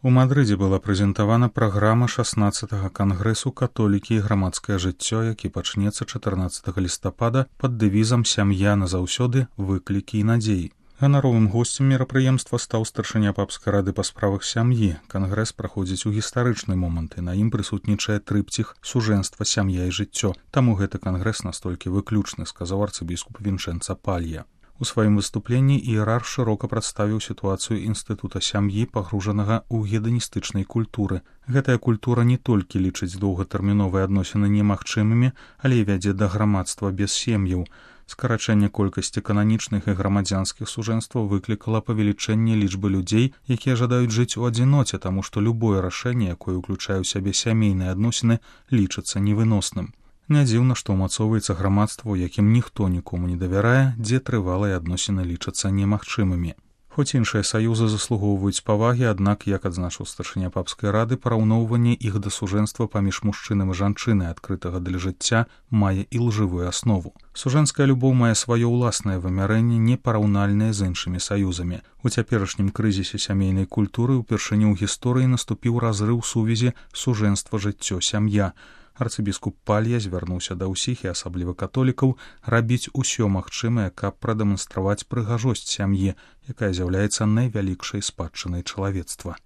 У Мадрыдзе была прэзентавана праграма 16-га кангрэсу католікі і грамадскае жыццё, які пачнецца 14 лістапада пад дэвізам «Сям'я назаўсёды, выклікі і надзеі». Ганаровым госцем мерапрыемства стаў старшыня папскай рады па справах сям'і. Кангрэс праходзіць у гістарычны момант, і на ім прысутнічае трыпціх сужэнства, сям'я і жыццё. Таму гэты кангрэс настолькі выключны, сказаў арцыбіскуп Вінчэнца Палья. У сваім выступленні іерарх шырока прадставіў сітуацыю інстытута сям'і, пагружанага ў геданістычнай культуры. Гэтая культура не толькі лічыць доўгатэрміновыя адносіны немагчымымі, але і вядзе да грамадства без сем'яў. Скарачэнне колькасці кананічных і грамадзянскіх сужэнстваў выклікала павелічэнне лічбы людзей, якія жадаюць жыць у адзіноце, таму што любое рашэнне, якое ўключае ў сябе сямейныя адносіны, лічыцца невыносным. Не дзіўна, што ўмацоўваецца грамадства, у якім ніхто нікому не давярае, дзе трывалыя адносіны лічацца немагчымымі. Хоць іншыя саюзы заслугоўваюць павагі, аднак, як адзначыў старшыня папскай рады, параўноўванне іх да сужэнства паміж мужчынам і жанчынай, адкрытага для жыцця, мае і лжывую аснову. Сужэнская любоў мае сваё ўласнае вымярэнне, непараўнальнае з іншымі саюзамі. У цяперашнім крызісе сямейнай культуры ўпершыню ў гісторыі наступіў разрыў сувязі сужэнства, жыццё, сям'я. Арцыбіскуп Палья звярнуўся да ўсіх, і асабліва католікаў, рабіць усё магчымае, каб прадэманстраваць прыгажосць сям'і, якая з'яўляецца найвялікшай спадчынай чалавецтва.